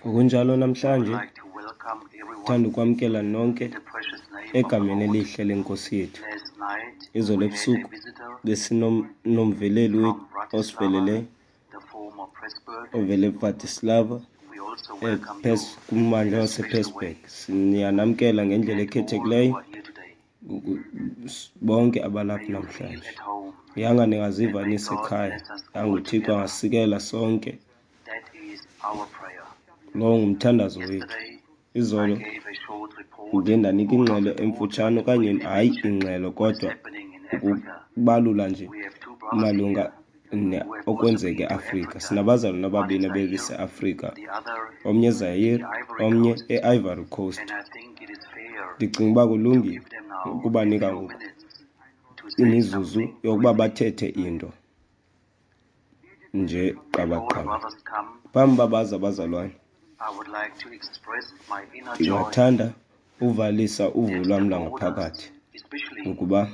Ngokunjalo namhlanje ndithanda ukwamkela nonke egameni elihle leNkosi yethu. Izolo ebusuku besinomveleli osiveleleyo ovela eBratislava kummandla wasePressburg. Siyanamkela ngendlela ekhethekileyo bonke abalapha namhlanje. Yanga ningaziva nisekhaya, yanga uThixo angasikela sonke. Lowo ngumthandazo wethu. Izolo ndiye ndanika ingxelo emfutshane okanye hayi ingxelo kodwa ukubalula nje malunga okwenzeka eAfrika. Sinabazalwana ababini abebeseAfrika, omnye eZaire, omnye eIvory Coast. Ndicinga uba kulungile ukubanika ngoku imizuzu yokuba bathethe into nje qabaqaba. Phambi uba baze abazalwane, ndingathanda uvalisa uvuyo lwam lwangaphakathi ngokuba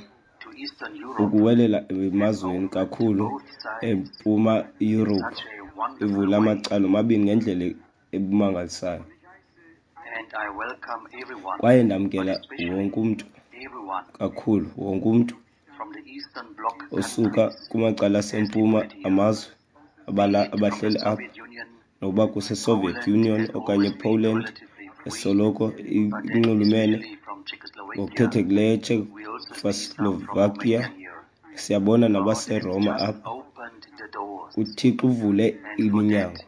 ukuwelela emazweni kakhulu eMpuma Yurophu ivula amacala omabini ngendlela ebumangalisayo. Kwaye ndamkela wonke umntu, kakhulu wonke umntu osuka kumacala asempuma amazwe abahleli apha, nokuba kuseSoviet Union okanye ePoland, esoloko inxulumene ngokukhethekileyo eCzechoslovakia. Siyabona nabaseRoma apha. UThixo uvule iminyango.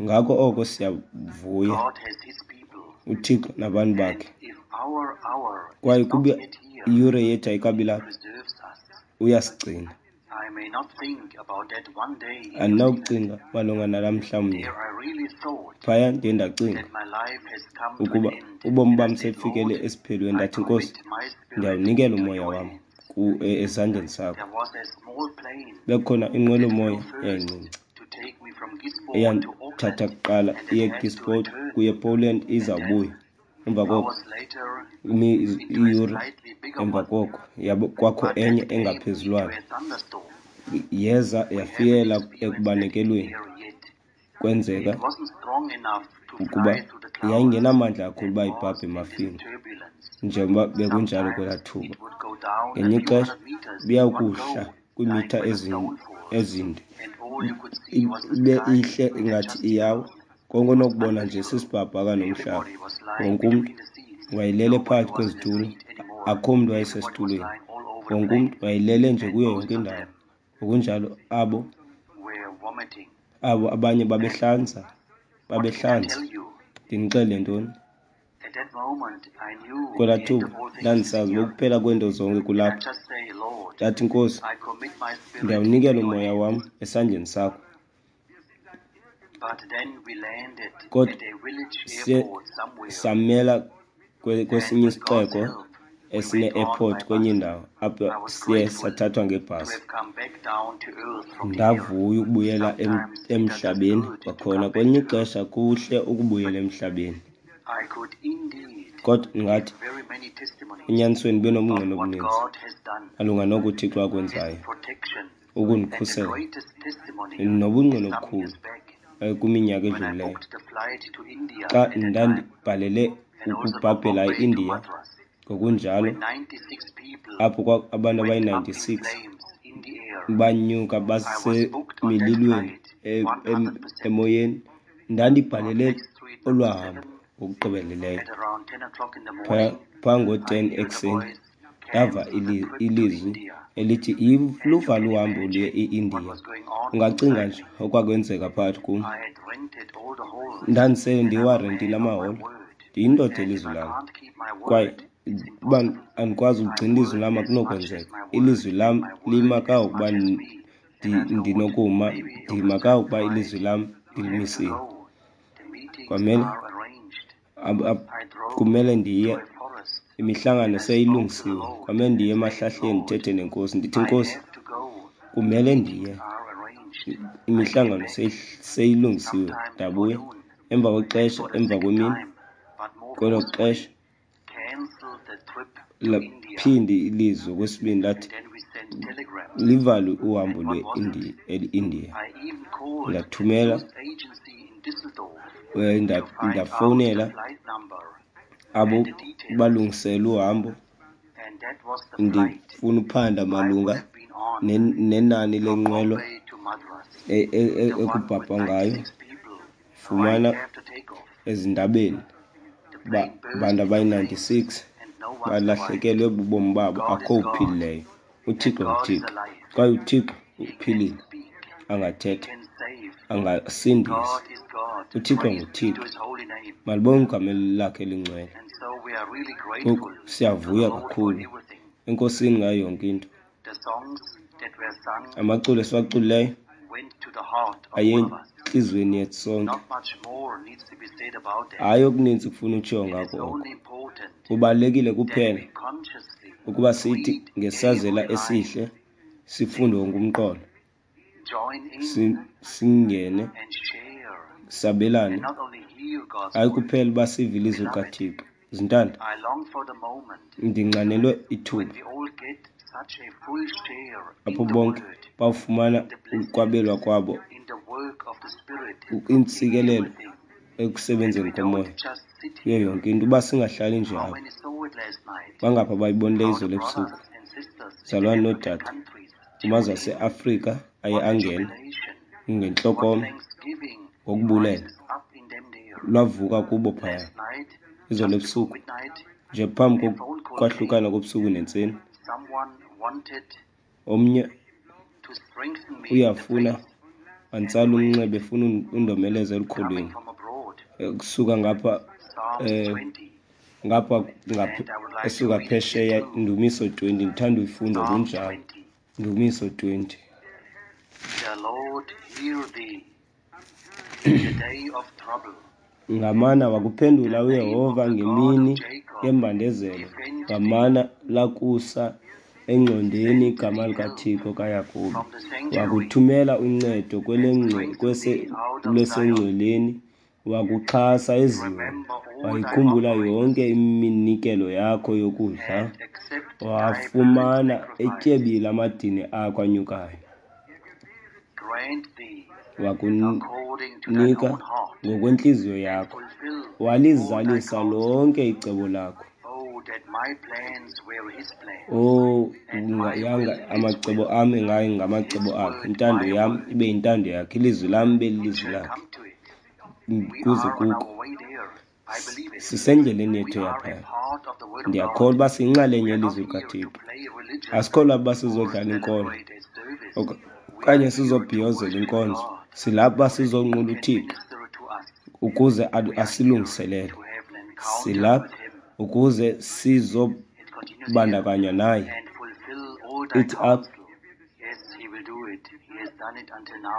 Ngako oko siyavuya uThixo nabantu bakhe. Kwaye kuba iyure yethu ayikabi lapha, uyasigcina. Andinakucinga malunga nalaa mhla mnye. Phaya ndiye ndacinga ukuba ubomi bam sebufikele esiphelweni. Ndathi, Nkosi, ndiyawunikela umoya wam ezandleni zakho. Bekukhona inqwelomoya eyayincinci eyandithatha kuqala iye eGisborne kuye ePoland izawubuya. Emva koko iiyure emva koko kwakho enye engaphezulwana yeza yafikela ekubanekelweni. Kwenzeka ukuba yayingenamandla kakhulu uba ibhabhe emafini njengoba bekunjalo kwelaa thuba. Ngelinye ixesha ibiyawukuhla kwiimitha ezinde ibe ihle ingathi iyawa. Konke onokubona nje sisibhakabhaka nomhlaba. Wonke umntu wayelele phakathi kwezitulo, akho mntu wayesesitulweni. Wonke umntu wayelele nje kuyo yonke indawo. Ngokunjalo abo abo abanye babehlanza, babehlanza. Ndinixelele ntoni? Kwelaa thuba ndandisazi uba ukuphela kweento zonke kulapha. Ndathi, Nkosi, ndiyawunikela umoya wam esandleni sakho. Kodwa siye samela kwesinye isixeko esine-airport kwenye indawo apho siye sathathwa ngebhasi. Ndavuya ukubuyela emhlabeni kwakhona. Kwelinye ixesha kuhle ukubuyela emhlabeni. Kodwa ndingathi enyanisweni ndibe nobungqina obuninzi malunga noko uThixo akwenzayo ukundikhusela nobungqina obukhulu kwiminyaka edlulileyo xa ndandibhalele ukubhabhela eIndiya ngokunjalo apho abantu abayi-96 banyuka basemililweni emoyeni. Ndandibhalele olwaa hambo ngokugqibeleleyo. Phaa ngo-10 ekuseni ndava ilizwi elithi luvale uhambo luye eIndiya. Ungacinga nje okwakwenzeka phakathi kum. Ndandisele ndiwarentile amaholo, ndiyindoda elizwi lam kwaye uba andikwazi ukugcina ilizwi lam akunokwenzeka. Ilizwi lam lima kangangokuba ndinokuma, ndima kangangokuba ilizwi lam ndilimisile. Kwamele kumele ndiye, imihlangano seyilungisiwe. Kwamele ndiye emahlahleni ndithethe neNkosi, ndithi, Nkosi, kumele ndiye, imihlangano seyilungisiwe. Ndabuya emva kwexesha, emva kwemini, kwelo xesha laphinde ilizwi okwesibini lathi livalwe uhambo lweIndiya. Ndathumela Ndafowunela abo balungisela uhambo, ndifuna uphanda malunga nenani lenqwelo ekubhabha ngayo. Fumana ezindabeni uba abantu abayi-96 balahlekelwe bubomi babo, akho uphilileyo. UThixo nguThixo, kwaye uThixo uphilile, angathetha, angasindisa. UThixo nguThixo, malibongwe igama lakhe elingcwele. Ngoku siyavuya kakhulu eNkosini ngayo yonke into. Amaculo esiwaculileyo aye entliziyweni yethu sonke. Hayi, okuninzi kufuna utshiwo ngako oko. Kubalulekile kuphela ukuba sithi ngesazela esihle sifunde wonke umqolo, singene, sabelane, hayi kuphela uba sive ilizwi likaThixo. Zintanda, ndinxanelwe ithuba apho bonke bawufumana ukwabelwa kwabo iintsikelelo ekusebenzeni komoya kuyo yonke into, uba singahlali nje apha. Bangaphi abayibonileyo izolo ebusuku, mzalwane noodade kumazwe aseAfrika aye angena ngentlokoma ngokubulela? Lwavuka kubo phaya izolo ebusuku, nje phambi kokwahlukana kobusuku nentseni. Omnye uyafuna wantsala umnxeba efuna undomeleza elukholweni kusuka ngapha, ngapha esuka phesheya. Ndumiso 20, ndithanda uyifunda kunjalo. Ndumiso 20. The Lord hear thee in the day of trouble. Ngamana wakuphendula uYehova ngemini yembandezelo, ngamana lakusa engcondweni igama likaThixo kaYakobi. Wakuthumela uncedo lwasengcweleni, wakuxhasa eZiyon. Wayikhumbula yonke iminikelo yakho yokudla, wafumana etyebile amadini akho anyukayo. Wakunika ngokwentliziyo yakho, walizalisa lonke icebo lakho. Oh, yanga amacebo am engayi ngamacebo akhe, intando yam ibe yintando yakhe, ilizwi lam ibe lilizwi lakhe. Kuze kuko. Sisendleleni yethu yaphaya. Ndiyakholwa uba siyinxalenye yelizwi likaThixo. Asikholwa uba sizodlala inkolo okanye sizobhiyozela inkonzo. Silapha uba sizonqula uThixo ukuze asilungiselele. Silapha ukuze sizobandakanywa naye. Ithi apha,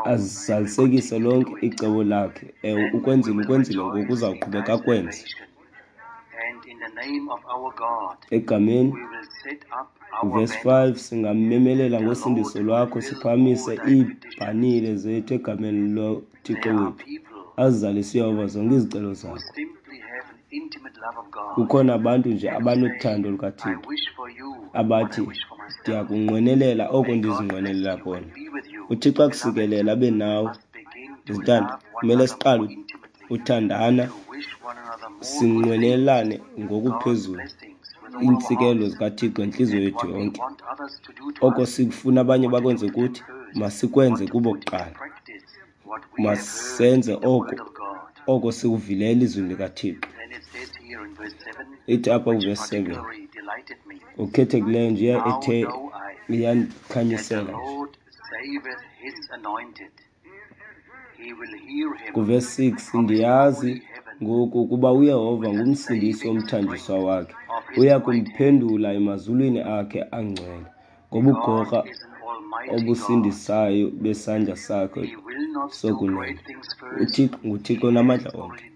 azalisekise lonke icebo lakhe. Ewe, ukwenzile, ukwenzile, ngoku uzawuqhubeka akwenze. Egameni, verse 5, singamemelela ngosindiso lwakho, siphakamise iibhanile zethu egameni loThixo wethu. Azizalise uYehova zonke izicelo zakho. Kukhona abantu nje abanothando lukaThixo abathi, ndiyakunqwenelela oko ndizinqwenelela kona. UThixo akusikelele, abe nawe. Zintanda, kumele siqale uthandana, sinqwenelane ngokuphezulu iintsikelelo zikaThixo entliziyo yethu yonke. Oko sikufuna abanye bakwenze kuthi, masikwenze kubo kuqala. Masenze oko sikuvileyo elizwini likaThixo. Ithi apha kuvesi 7, ngokukhethekileyo nje ethe iyandikhanyisela nje. Kuvesi 6, ndiyazi ngoku ukuba uYehova ngumsindisi womthanjiswa wakhe, uya kumphendula emazulwini akhe angcwele ngobugorha obusindisayo besandla sakhe sokunene. UThixo nguThixo onamandla onke.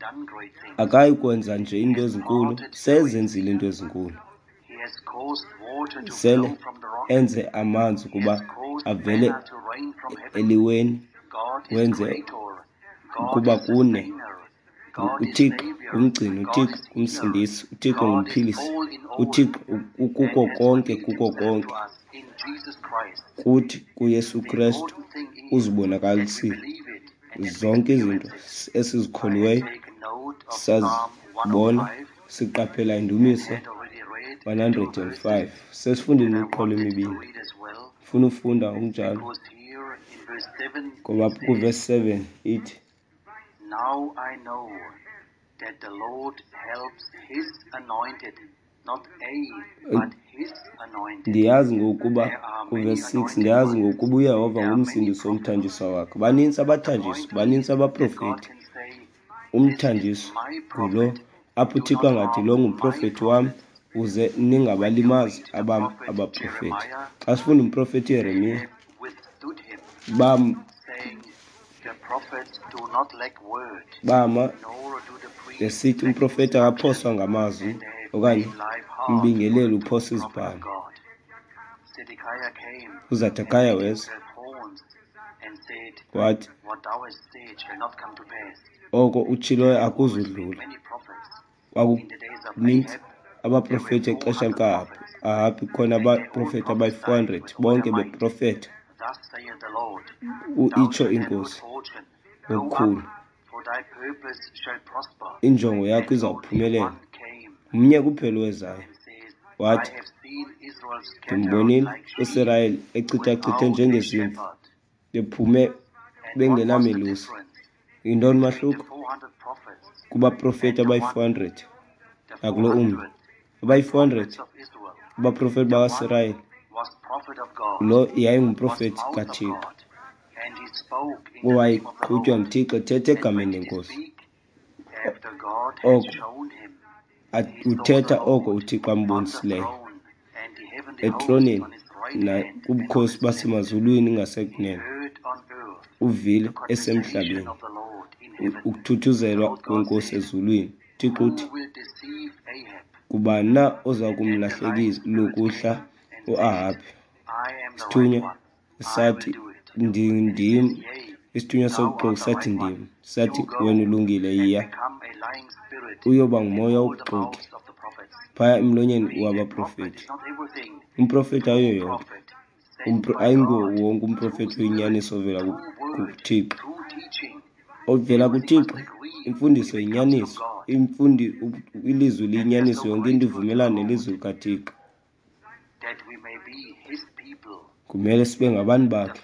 Akayi kwenza nje iinto ezinkulu, sezenzile iinto ezinkulu. Sele enze amanzi ukuba avele eliweni, wenze ukuba kune. UThixo ngumgcini, uThixo ngumsindisi, uThixo ngumphilisi, uThixo ukuko konke, kuko konke. Kuthi kuYesu Krestu uzibonakalisile zonke izinto esizikholiweyo Sazibona siqaphela indumiso 105. Sesifundile imiqolo emibini. Funa ufunda ngokunjalo. Ngoba kuvesi 7 ithi, Now I know that the Lord helps his anointed, not a, but his anointed. Ndiyazi ngokuba kuvesi 6, ndiyazi ngokuba uYehova ngumsindisi womthanjiswa wakhe. Baninzi abathanjiswa, baninzi abaprofeti. Umthanjiswa ngulo apho uThixo angathi lo ngumprofeti wam, uze ningabalimazi abam abaprofeti. Xa sifunda umprofeti Yeremiya, bama besithi umprofeti akaphoswa ngamazwi okanye umbingeleli uphosa izibhalo. UZedekaya weza wathi, oko utshiloyo akuzudlula. Kwakuninzi abaprofeti exesha lika-Ahabhi, khona abaprofeti abayi-400 bonke beprofeta itsho iNkosi ngokukhulu, injongo yakho izawuphumelela. Mnye kuphela owezayo wathi, ndimbonile uSirayeli echithachithe njengezimvu, bephume bengenamelusi. Yintoni umahluko kubaprofeti abayi-400 nakulo umnye? Abayi-400 abaprofeti bakaSirayeli, lo yayingumprofeti kaThixo owayeqhutywa nguThixo ethetha egameni leNkosi. Oko uthetha oko uThixo ambonisileyo etroneni nakubukhosi basemazulwini ngasekunene. Uvile esemhlabeni ukuthuthuzelwa kweNkosi ezulwini. UThixo uthi, ngubani na oza kumlahlekisa lukuhla uAhabhi? Isithunywa sathi, ndim. Isithunywa sobuxoki sathi, ndim. Sathi, wena ulungile, yiya uyoba ngumoya wobuxoki phaya emlonyeni wabaprofeti. Umprofeti ayiyo yonke, ayinguwo wonke umprofeti oyinyaniso ovela kuThixo. Ovela kuThixo, imfundiso yinyaniso, ilizwi liyinyaniso, yonke into ivumelana nelizwi likaThixo. Kumele sibe ngabantu bakhe,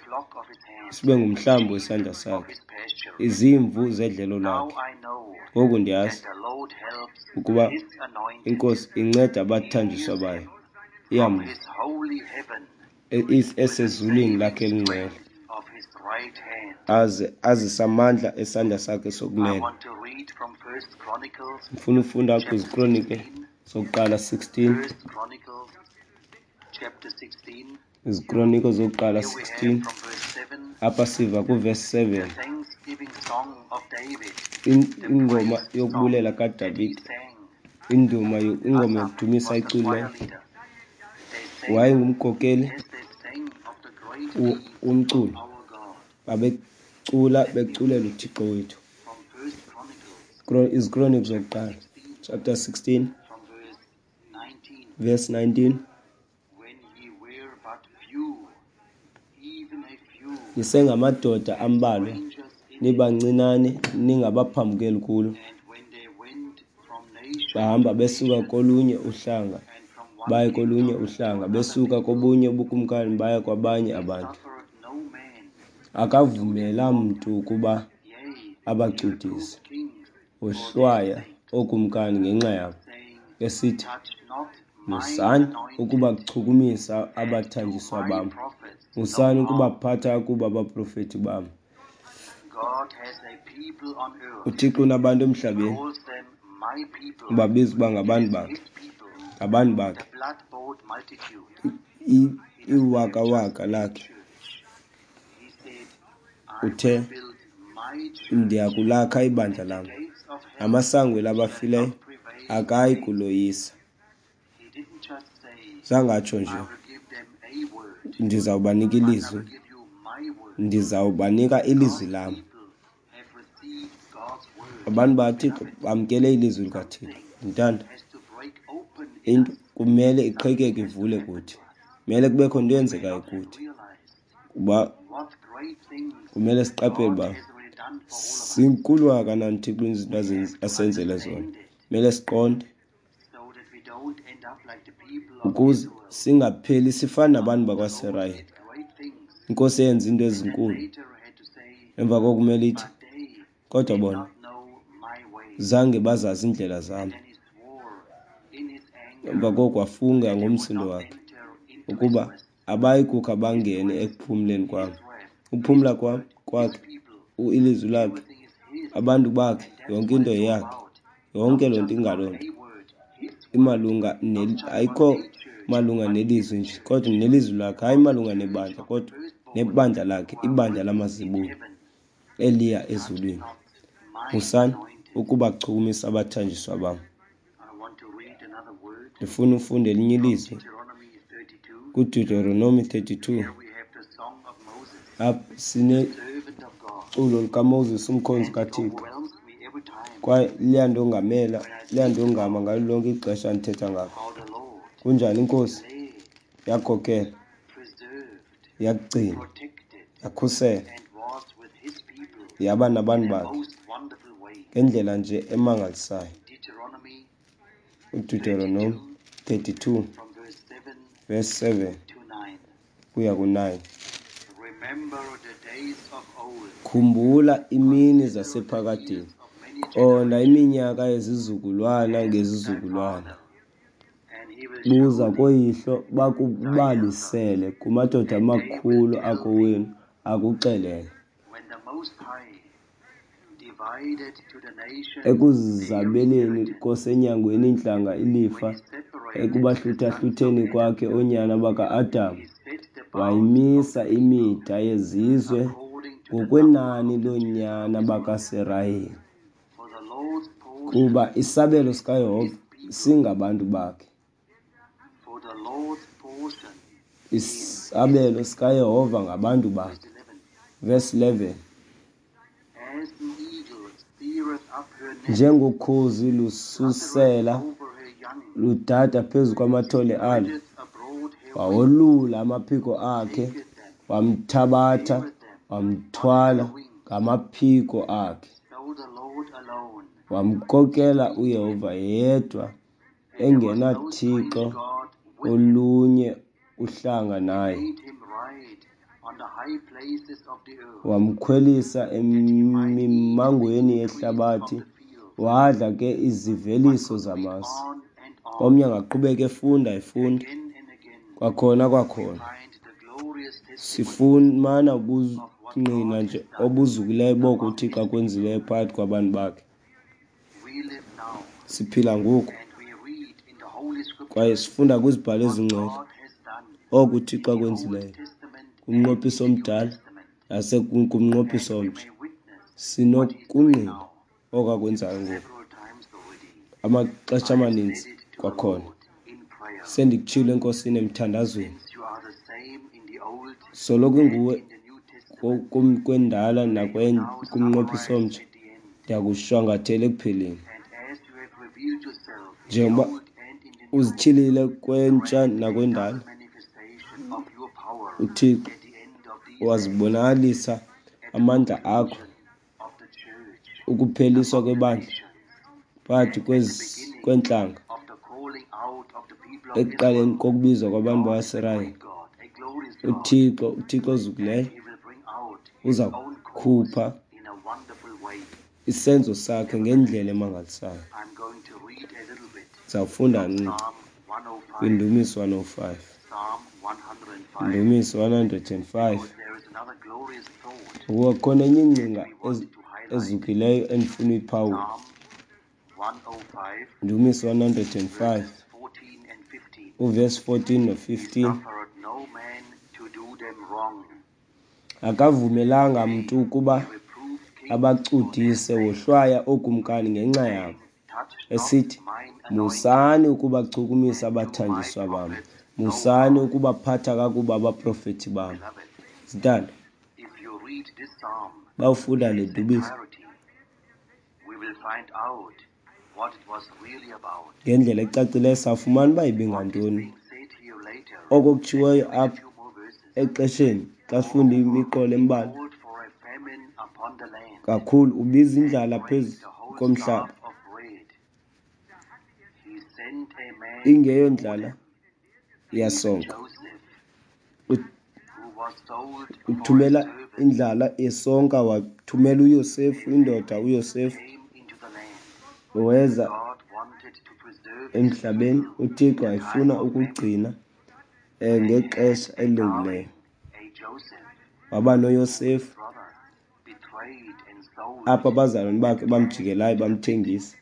sibe ngumhlambi wesandla sakhe, izimvu zedlelo lakhe. Ngoku ndiyazi ukuba iNkosi inceda abathanjiswa bayo, iyamva esezulwini lakhe elingcwele, aze azise amandla esandla sakhe sokunene. Ndifuna ufunda kwiziKronike zokuqala 16. Izikroniko zokuqala 16. Apha siva kuvesi 7. Ingoma yokubulela kaDavide, ingoma yokudumisa iculileyo. Wayengumkhokeli womculo, babecula beculela uThixo wethu. Izikroniko zokuqala chapter 16 verse 19. Nisengamadoda ambalwa, nibancinane, ningabaphambukeli kulo. Bahamba besuka kolunye uhlanga baye kolunye uhlanga, besuka kobunye ubukumkani baya kwabanye abantu. Akavumela mntu ukuba abacudise, wohlwaya ookumkani ngenxa yabo, esithi, musani ukubachukumisa abathanjiswa bam, musani ukubaphatha kuba abaprofeti bam. uThixo unabantu emhlabeni, ubabiza uba ngabantu bakhe, ngabantu bakhe, iwakawaka lakhe. Uthe, ndiyakulakha ibandla lam, amasango labafileyo akayi kuloyisa. Zangatsho nje, ndizawubanika ilizwi, ndizawubanika ilizwi lam. Abantu bakaThixo bamkele ilizwi likaThixo. Ndithanda into kumele iqhekeke ivule kuthi, kumele kubekho into eyenzekayo kuthi, kuba kumele siqaphele uba Zinkulu kangakanani uThixo izinto asenzele zona. Kumele siqonde ukuze singapheli sifana nabantu bakwaSirayeli. INkosi eyenza iinto ezinkulu, emva koko kumele ithi, kodwa bona zange bazazi iindlela zam. Emva koko wafunga ngomsindo wakhe ukuba abayi kukha bangene ekuphumleni kwam. Ukuphumla kwam kwakhe, ilizwi lakhe, abantu bakhe, yonke into yeyakhe. Yonke loo nto ingaloo nto imalunga ayikho malunga nelizwi nje, kodwa nelizwi lakhe, hayi malunga nebandla, kodwa nebandla lakhe, ibandla lamazibulo eliya ezulwini. Musani ukubachukumisa abathanjiswa bam. Ndifuna ufunda elinye ilizwi kuDeuteronomy 32. Apha sineculo likaMoses, umkhonzi kaThixo, kwaye liyandongamela, liyandongama ngalo lonke ixesha ndithetha ngako. Kunjani iNkosi yakhokela, yakugcina, yakhusela, yaba nabantu bakhe ngendlela nje emangalisayo. UDeuteronomy 32 verse 7 kuya ku-9. Khumbula imini zasephakadeni, qonda iminyaka yezizukulwana ngezizukulwana. Buza koyihlo bakubalisele, kumadoda amakhulu akowenu akuxelele. Ekuzabeleni kosenyangweni iintlanga ilifa, ekubahlutha-hlutheni kwakhe oonyana baka-Adam, wayimisa imida yezizwe ngokwenani loonyana bakaSirayeli. Kuba isabelo sikaYehova singabantu bakhe. Isabelo sikaYehova ngabantu bakhe. Verse 11. Njengokhozi lususela ludada phezu kwamathole alo, wawolula amaphiko akhe, wamthabatha, wamthwala ngamaphiko akhe. Wamkokela uYehova yedwa, engenathixo olunye uhlanga naye. Wamkhwelisa emimangweni yehlabathi, wadla ke iziveliso zamasi. Omnye angaqhubeka efunda efunda kwakhona kwakhona. Sifumana ubungqina nje obuzukileyo boko uThixo akwenzileyo phakathi kwabantu bakhe. Siphila ngoku kwaye sifunda kwizibhalo ezingcwele oko uThixo akwenzileyo kumnqophiso omdala nasekumnqophiso omtsha. Sinokungqina oko akwenzayo ngoku amaxesha amaninzi. Kwakhona sendikutshilo eNkosini emthandazweni, soloko inguwe kwendala nakumnqophiso omtsha, ndiyakushwangathela ekupheleni. Njengoba uzityhilile kwentsha nakwendala, uThixo wazibonakalisa amandla akho, ukupheliswa kwebandla phakathi kweentlanga ekuqaleni kokubizwa kwabantu bakwaSirayeli. uThixo, uThixo ozukileyo, uza kukhupha isenzo sakhe ngendlela emangalisayo. Sizawufunda kancinci kwiNdumiso 105. Indumiso 105. Ngokuba kukhona enye ingcinga ezukileyo endifuna uyiphawula. Ndumiso 105 uvesi 14 no-15. Akavumelanga mntu ukuba abacudise, wohlwaya ookumkani ngenxa yabo, esithi, musani ukubachukumisa abathanjiswa bam, musani ukubaphatha kakubi abaprofethi bam. Zintanda, bawufunda le ndumiso ngendlela ecacileyo, sawufumana uba ibingantoni oko kutshiwoyo apha exesheni xa sifunda imiqolo embalwa. Kakhulu ubiza indlala phezu komhlaba, ingeyondlala yasonka. Uthumela indlala yesonka, wathumela uYosefu, indoda uYosefu weza emhlabeni. UThixo wayefuna ukugcina ngexesha elilungileyo. Waba noYosefu apho abazalwane bakhe bamjikelayo bamthengisa,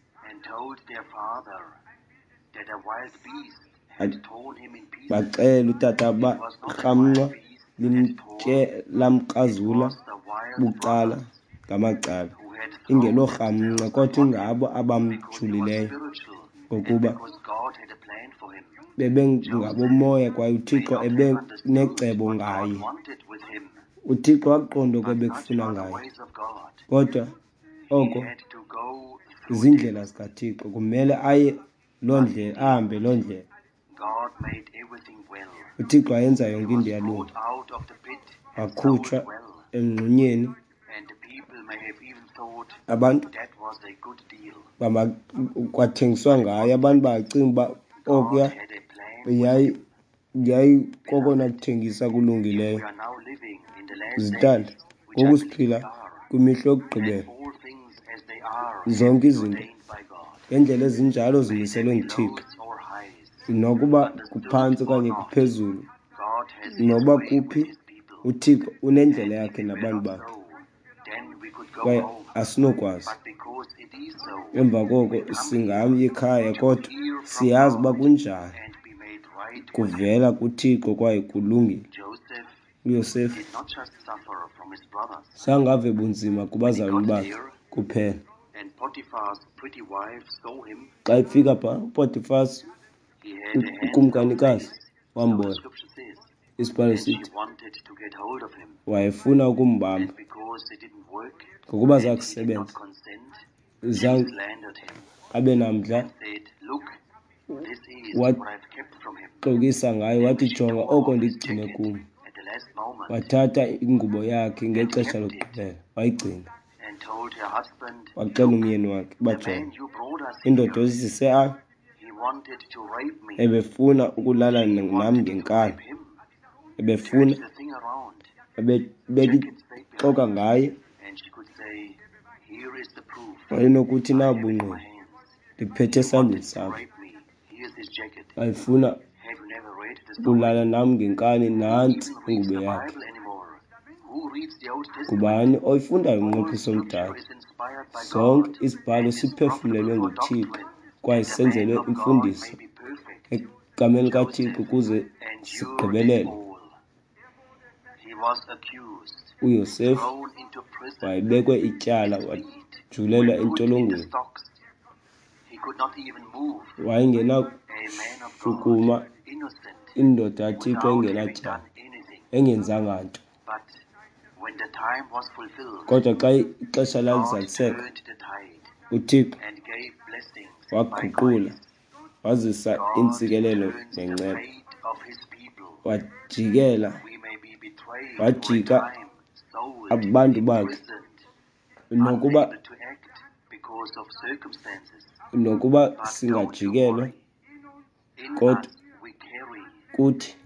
baxela utata uba irhamncwa limtye lamkrazula bucala ngamacala, ingelorhamncwa kodwa ingabo abamjulileyo, ngokuba bebengabomoya kwaye uThixo ebenecebo ngaye. UThixo wakuqonda oko ebekufuna ngaye, kodwa oko ziindlela zikaThixo, kumele aye loo ndlela, ahambe loo ndlela. UThixo wayenza yonke into yalunga. Wakhutshwa emngxunyeni, abantu kwathengiswa ngaye, abantu bacinga uba okuya yayikokona kuthengisa kulungileyo. Zitanda, ngoku siphila kwimihla yokugqibela, zonke izinto ngendlela ezinjalo zimiselwe nguThixo, nokuba kuphantsi okanye kuphezulu, noba kuphi, uThixo unendlela yakhe nabantu bakhe, kwaye asinokwazi. Emva koko singayi ekhaya, kodwa siyazi uba kunjani kuvela kuThixo kwaye kulungile. UYosefu zange ave bunzima kubazalwane bakhe kuphela. Xa efika phaa, uPotifas ukumkanikazi wambona. Isibhalo sithi wayefuna ukumbamba, ngokuba zakusebenza zange abe namdla, waxokisa ngaye wathi, jonga oko ndigcine kum. Wathatha ingubo yakhe ngexesha lokugqibela wayigcina, waxela umyeni wakhe uba jonga, indoda oyizise apha ebefuna ukulala nam ngenkani, ebefuna ebexoka ngaye. Wayenokuthi nabu bungqina ndiphethe esandleni sam, wayefuna ukulala nam ngenkani, nantsi ingubo yakhe. Ngubani oyifundayo umnqophiso omdala? Sonke isibhalo siphefumlelwe nguThixo kwaye senzelwe imfundiso egameni likaThixo ukuze sigqibelele. UYosefu wayebekwe ityala, wajulelwa entolongweni, wayengenakushukuma, indoda kaThixo engenatyala, engenzanga nto. Kodwa xa ixesha lalizaliseka, uThixo waguqula, wazisa iintsikelelo nenceba, wajikela, wajika abantu bakhe, nokuba singajikelwa, kodwa kuthi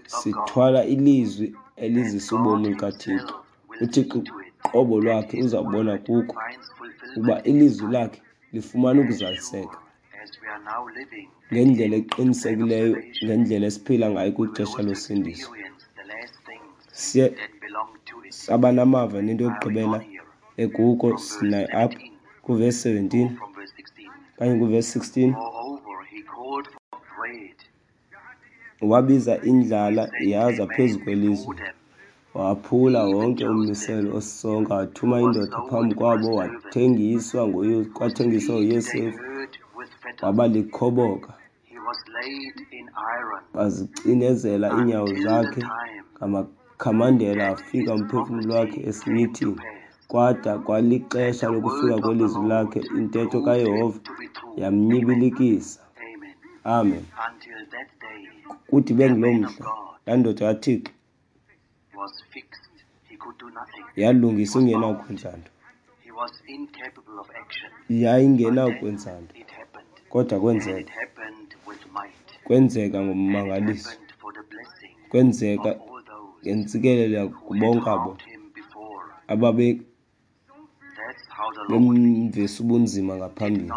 sithwala ilizwi elizisa ubomi likaThixo. UThixo qobo lwakhe uzawubona kuko ukuba ilizwi lakhe lifumana ukuzaliseka ngendlela eqinisekileyo, ngendlela esiphila ngayo kwixesha losindiso. Siye saba namava nento yokugqibela ekuko sinayo apha kuvesi 17 okanye kuvesi 16. Wabiza indlala yaza phezu kwelizwe, waphula wonke ummiselo osisonka, wathuma indoda phambi kwabo, wathengiswa kwathengiswa uYosefu, waba likhoboka. Bazicinezela iinyawo zakhe ngamakhamandela, wafika umphefumlo wakhe esinyithini. Kwada kwalixesha lokufika kwelizwi lakhe, intetho kaYehova yamnyibilikisa. Amen. Kude ibe nguloo mhla, laa ndoda kaThixo Yalungisa ingenakwenza nto. Yayingenakwenza nto, kodwa kwenzeka. Kwenzeka ngommangaliso. Kwenzeka ngentsikelelo kubonke abo ababe bemvisa ubunzima ngaphambili.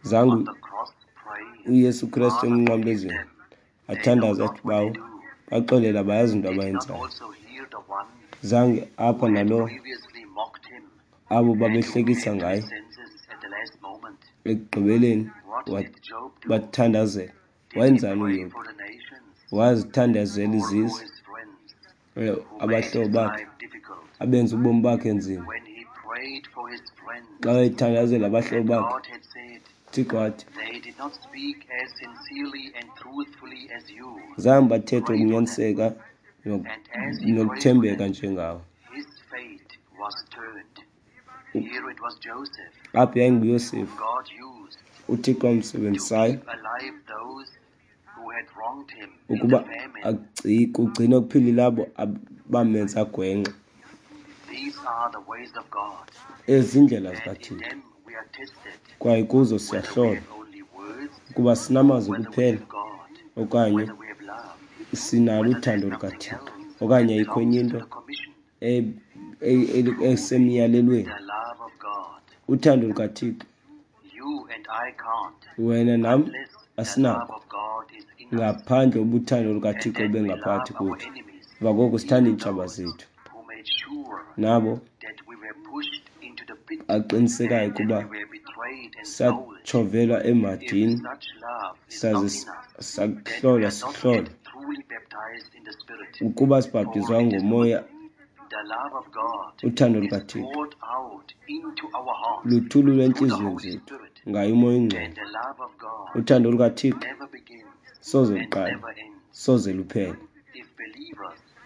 Zange uYesu Krestu emnqamlezweni athandaze athi, Bawo, baxolele abayazi into abayenzayo. Zange apha nalo abo babehlekisa ngaye ekugqibeleni bathandazela. Wayenzani uYobhi? Wazithandazela izizwe, abahlobo bakhe abenza ubomi bakhe nzima. Xa wayethandazela abahlobo bakhe, uThixo wathi, zange bathethe ukunyaniseka nokuthembeka njengawe. Apho yayinguYosefu uThixo amsebenzisayo ukuba kugcine kuphilile abo bamenza gwenxa. Ezi ziindlela zikaThixo, kwaye kuzo siyahlolwa ukuba sinamazwi kuphela okanye sinalo uthando lukaThixo okanye ayikho enye into esemyalelweni. Uthando lukaThixo, wena nam asinako ngaphandle ubuthando lukaThixo obengaphakathi kwethu. Emva koko sithanda iintshaba zethu, nabo aqinisekayo ukuba satshovelwa emhadini saze sakuhlolwa sihlolwa. Ukuba sibhaptizwa ngomoya, uthando lukaThixo luthululwa entliziyweni zethu ngaye uMoya oyiNgcwele. Uthando lukaThixo soze luqale, soze luphele.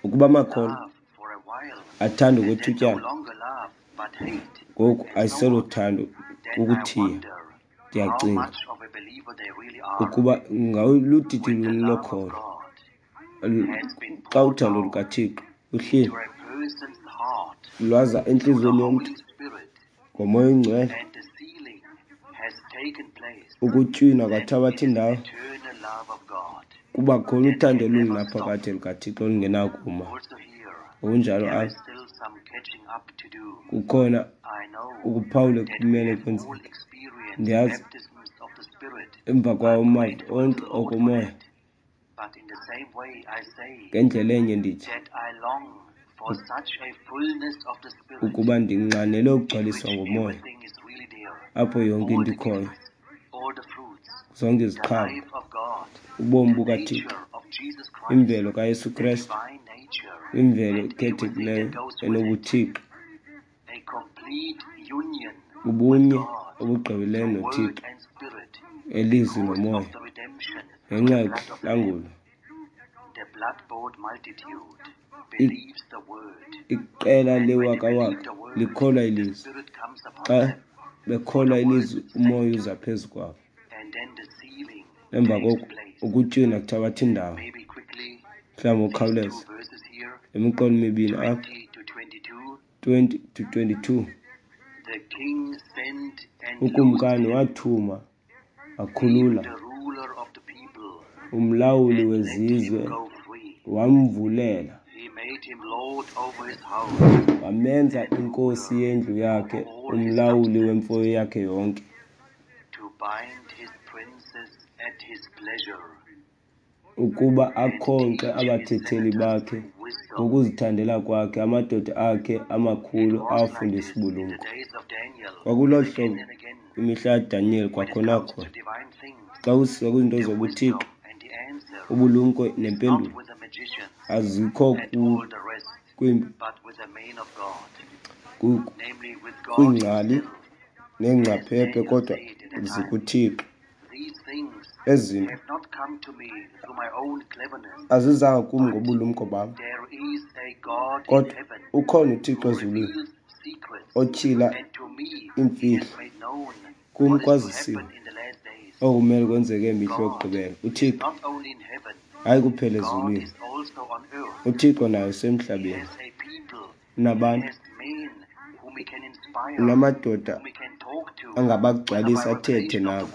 Ukuba amakholwa athanda okwethutyana, ngoku ayiselothando kukuthiya. Ndiyacinga ukuba ngaludidi luni lokholo xa uthando lukaThixo luhleli lwaza entliziyweni yomntu ngoMoya oyiNgcwele, ukutywinwa kwathabatha indawo, kuba khona uthando olungunaphakade lukaThixo olungenakuma. Ngokunjalo apha kukhona ukuphawula ekumele kwenzeke. Ndiyazi emva kwawo amava onke okomoya, ngendlela enye ndithi ukuba ndinxanelwe ukugcwaliswa ngomoya, apho yonke into ikhoyo, zonke iziqhamo, ubomi bukaThixo, imvelo kaYesu Krestu, imvelo ekhethekileyo enobuThixo, ubunye obugqibeleleyo noThixo, elizwi nomoya, ngenxa yokuhlangulwa. Iqela lewakawaka likholwa ilizwi. Xa bekholwa ilizwi, umoya uza phezu kwabo. Emva koko ukutywina kuthabatha indawo. Mhlawumbi ngokukhawuleza le miqolo mibini apha, 20 to 22. Ukumkani wathuma wakhulula umlawuli wezizwe, wamvulela, wamenza inkosi yendlu yakhe, umlawuli wemfuyo yakhe yonke, ukuba akhonkxe abathetheli bakhe ngokuzithandela kwakhe, amadoda akhe amakhulu awafundisa ubulumko. Kwakulolu hlobo kwimihla kaDaniyeli kwakhona khona. Xa kusiza kwizinto zobuthixo, ubulumko nempendulo azikho kwiingcali neengcaphephe, kodwa zikuThixo. Ezi zinto azizanga kum ngobulumko bam, kodwa ukhona uThixo ezulwini otyhila iimfihlo. Kum kwazisiwe okumele kwenzeke ngemihla yokugqibela. UThixo hayi kuphela ezulwini, uThixo naye usemhlabeni. Unabantu, unamadoda angabagcwalisa athethe nabo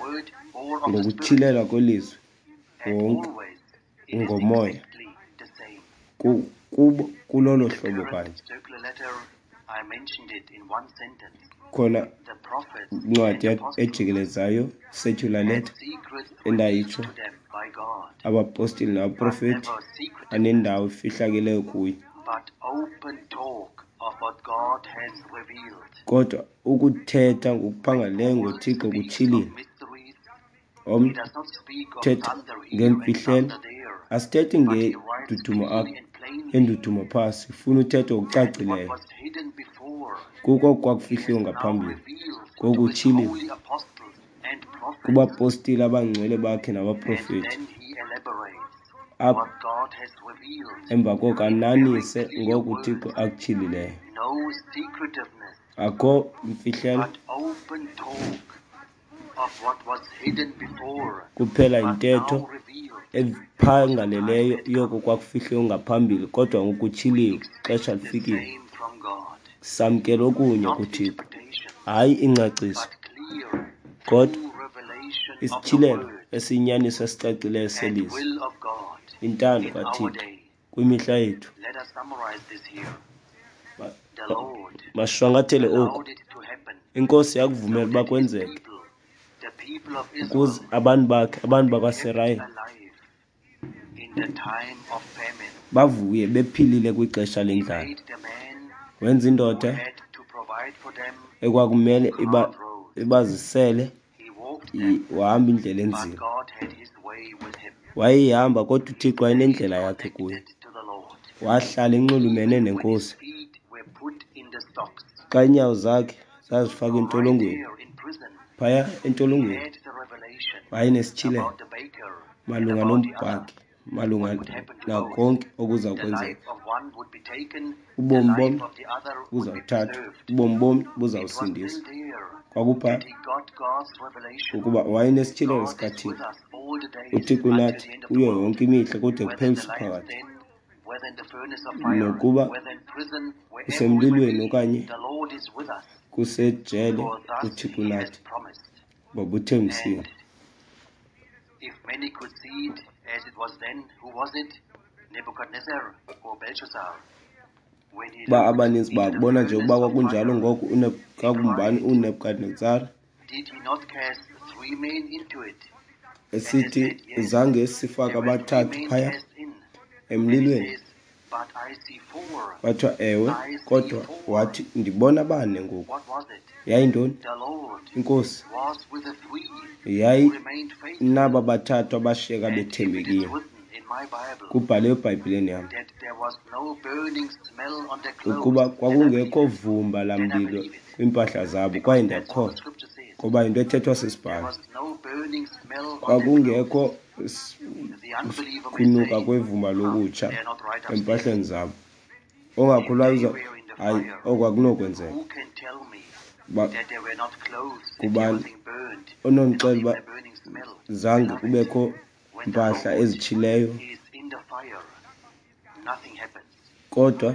ngokutyhilelwa kwelizwi wonke ngomoya kubo kulolo hlobo kanye. Khona incwadi ejikelezayo, circular letter, endayitsho, abapostile nabaprofeti anendawo efihlakeleyo kuye. Kodwa ukuthetha ngokuphangaleleyo ngoThixo kutyhilile. Omnye thetha ngeemfihlelo. Asithethi ngedudumo apha, endudumo phaa, sifuna uthetha ngokucacileyo. Kuko kwakufihliwe ngaphambili, ngoku utyhiliwe kubapostile abangcwele bakhe nabaprofeti. Apha emva koko ananise ngoko uThixo akutyhilileyo. Akho mfihlelo, kuphela yintetho ephangaleleyo yoko kwakufihliwe ngaphambili, kodwa ngoku kutyhiliwe, ixesha lifikile. Samkela okunye kuThixo, hayi ingcaciso, kodwa isityhilelo esiyinyaniso esicacileyo selizwi, intando kaThixo kwimihla yethu. Masishwankathele oku. INkosi yakuvumela uba kwenzeke ukuze abantu bakhe, abantu bakwaSirayeli, bavuye bephilile kwixesha lendlala. Wenza indoda ekwakumele ibazisele, wahamba indlela enzima. Wayeyihamba kodwa uThixo wayenendlela yakhe kuye. Wahlala enxulumene neNkosi. Xa iinyawo zakhe zazifakwe entolongweni, phaya entolongweni, wayenesityhilelo malunga nombhaki, malunga nakonke okuza kwenzeka. Ubomi bomnye buzawuthathwa, ubomi bomnye buzawusindiswa. Kwakupha ukuba wayenesityhilelo sikaThixo. UThixo unathi kuyo yonke imihla kude kuphele uphakathi. Nokuba kusemlilweni okanye kusejele, uThixo unathi ngoba uthembisile. If many could see it as it was then, who was it? Nebuchadnezzar or Belshazzar? Uba abaninzi bakubona nje ukuba kwakunjalo ngoku, kwakumbani uNebukadnezar esithi zange sifake abathathu phaya emlilweni. Kwathiwa ewe, kodwa wathi ndibona bane ngoku. Yayintoni? INkosi yayinaba bathathu abashiyeka bethembekile. Kubhalwe eBhayibhileni yam ukuba kwakungekho vumba lamlilo kwiimpahla zabo, kwaye ndiyakholwa ngoba yinto ethethwa sisibhalo. Kwakungekho kunuka kwevumba lokutsha empahleni zabo. Ongakholwayo, hayi, oku akunokwenzeka. Kubani onondixelela uba zange kubekho mpahla ezitshileyo? Kodwa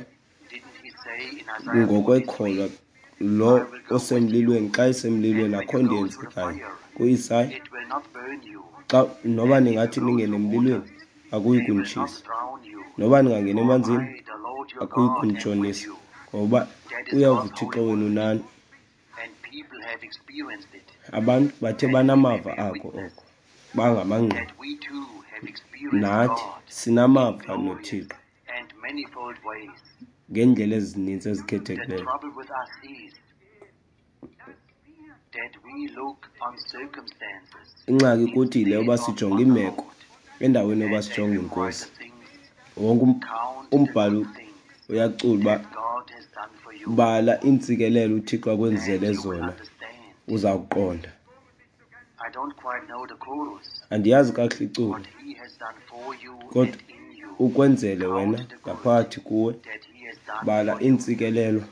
ngokwekholwa lo osemlilweni, xa esemlilweni akho nto yenzekayo. KuIsaya, xa noba ningathi ningene emlilweni akuyi kunitshisa, noba ningangena emanzini akuyi kunitshonisa, ngoba uyawuva uThixo wenu nani. Abantu bathe banamava ako oko, bangamangqina. Nathi sinamava noThixo ngeendlela ezininzi ezikhethekileyo. Ingxaki kuthi yile yoba sijonge iimeko endaweni yoba sijonge iNkosi. Wonke umbhalo uyacula uba bala iintsikelelo uThixo akwenzele zona, uzawuqonda. Andiyazi kakuhle iculo, kodwa ukwenzele wena ngaphakathi kuwe, bala iintsikelelo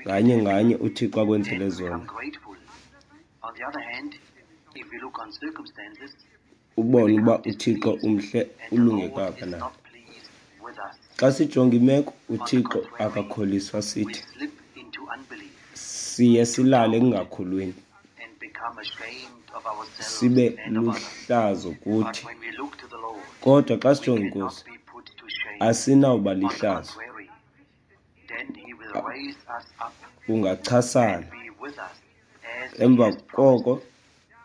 nganye nganye uThixo akwenzele zona. Ubone uba uThixo umhle, ulunge kangakanani. Xa sijonga imeko, On the uThixo contrary, akakholiswa we sithi. slip into unbelief, Siye to silale doubt, ekungakholweni, and become ashamed of ourselves sibe and of others. luhlazo But kuthi. when we look to the Lord, Kodwa xa we sijonga cannot iNkosi, be put to shame. asinawuba On the lihlazo. contrary, then he will raise us up Ungachasana. and be with us as he Emva has promised. koko,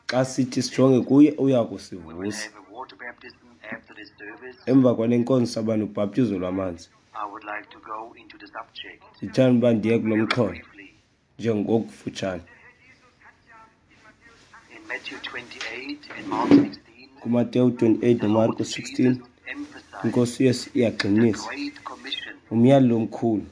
xa sithi sijonge kuye, uya We will kusivusa. have a water baptism after the service. Emva kwale nkonzo saba nobhaptizo lwamanzi. I would like to go into the subject Ndithanda uba ndiye kulo very mxholo briefly. njengokufutshane. In Matthew 28 and Mark 16, KuMateyu 28 the noMarko Lord 16, Jesus emphasized iNkosi uYesu the iyagxinisa Great Commission, umyalelo omkhulu.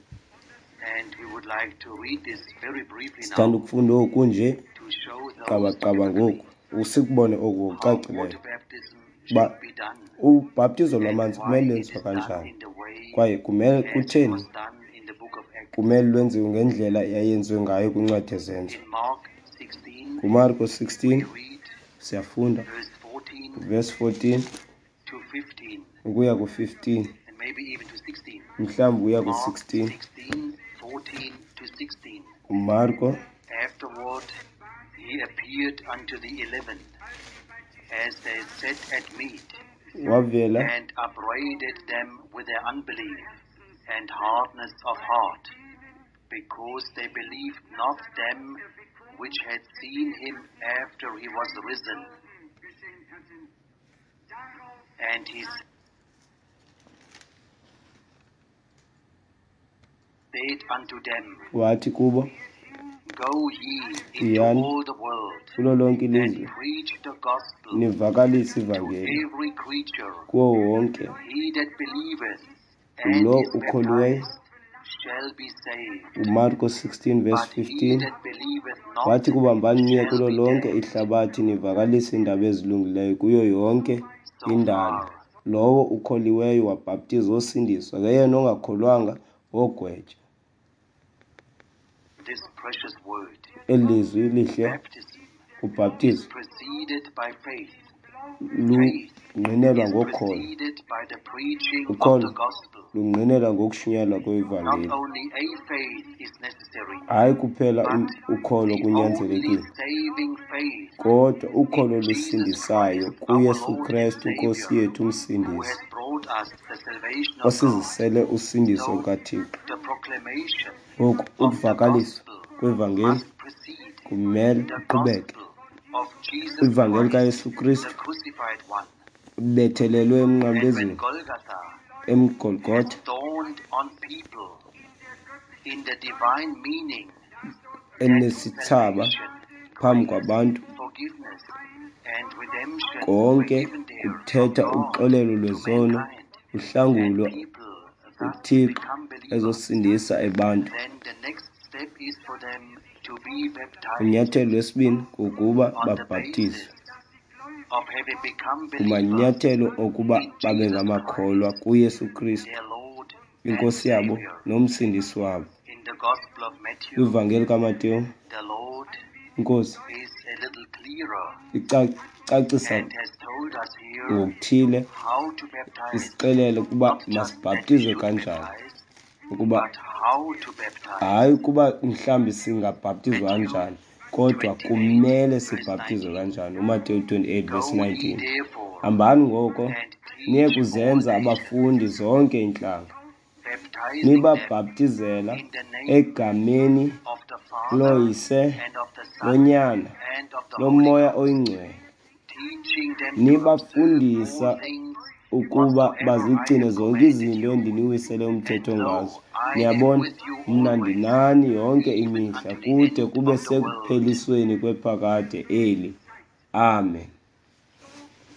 and we would like to read this very briefly Sithanda now ukufunda oku nje to show those qabaqaba typically ngoku, usikubone oku how ngokucacileyo water baptism uba should be done ubhaptizo and lwamanzi why kumele it lwenziwe is done kanjani in the way kwaye kumele as it kutheni was done in the book of Acts. kumele lwenziwe ngendlela eyayenziwe ngayo kwincwadi yeZenzo. In Mark 16, KuMarko we 16 read siyafunda verse 14 verse 14 to 15, ukuya ku-15, and maybe even to 16. mhlawumbi ukuya Mark ku-16. 16, 14 to 16. UMarko Afterward, he appeared unto the 11 as they sat at meat, wavela and upbraided them with their unbelief and hardness of heart, because they believed not them which had seen him after he was risen. And he said unto them, wathi kubo, Go ye into Yiyani all the world kulo lonke and ilizwe preach the gospel nivakalise to ivangeli every creature. kuwo wonke He that believeth and lo is ukholiweyo. baptized shall be saved, UMarko 16 verse but he 15 that believeth not wathi kubo, hambani niye shall kulo be lonke damned. ihlabathi nivakalise iindaba ezilungileyo kuyo yonke So indalo. far, Lowo ukholiweyo wabhaptizwa wosindiswa, ke yena ongakholwanga wogwetywa. this precious word, Eli lizwi lihle, baptism, is ubhaptizo preceded by faith. Faith lungqinelwa is ngokholo. preceded by the preaching of Ukholo the gospel. lungqinelwa ngokushunyayelwa Not kwevangeli. only a faith is necessary, Hayi kuphela but ukholo the only kunyanzelekile, saving faith kodwa ukholo in Jesus lusindisayo Christ, our kuYesu Lord and Krestu iNkosi Savior, yethu who uMsindisi, has brought us the salvation of God. osizisele usindiso So lukaThixo. the proclamation Ngoku of the ukuvakaliswa gospel kwevangeli must precede kumele the kuqhubeke. gospel of Jesus Ivangeli Christ, kaYesu the Kristu crucified one. bethelelwe And when emnqamlezweni Golgotha has eMgolgotha dawned on people in the divine meaning that enesithsaba salvation, phambi grace, kwabantu, forgiveness, and redemption were konke given there from kuthetha God uxolelo to lwezono, mankind, and uhlangulo people thus uThixo become believers, ezosindisa abantu. then the next step is for them to be baptized Unyathelo lwesibini kukuba on the babhaptizwe basis of having become believers kumanyathelo okuba in babe Jesus ngamakholwa Christ, kuYesu Kristu, their Lord and iNkosi yabo Savior. noMsindisi wabo. In the Gospel of Matthew, Kwivangeli kaMateyu, the Lord iNkosi is a little clearer icacisa and has told us here ngokuthile, how to baptize, isixelele ukuba not just that we masibhaptizwe should kanjani, baptize, ukuba but how to baptize. hayi ukuba mhlawumbi singabhaptizwa Matthew kanjani, kodwa 28, kumele verse sibhaptizwe 19. kanjani. UMateyu 28 verse Go ye 19. therefore Hambani ngoko and niye teach all kuzenza nations, abafundi zonke iintlanga, baptizing them nibabhaptizela in the name egameni of the Father loYise, and of the Son loNyana, and of the Holy loMoya Ghost, oyiNgcwele, teaching them to observe all nibafundisa things ukuba whatsoever I bazigcine have zonke commanded izinto you. endiniwisele And umthetho lo, ngazo. I am Niyabona, with you mna always, ndinani yonke even imihla unto the kude end kube of the world. sekuphelisweni kwephakade eli. Amen.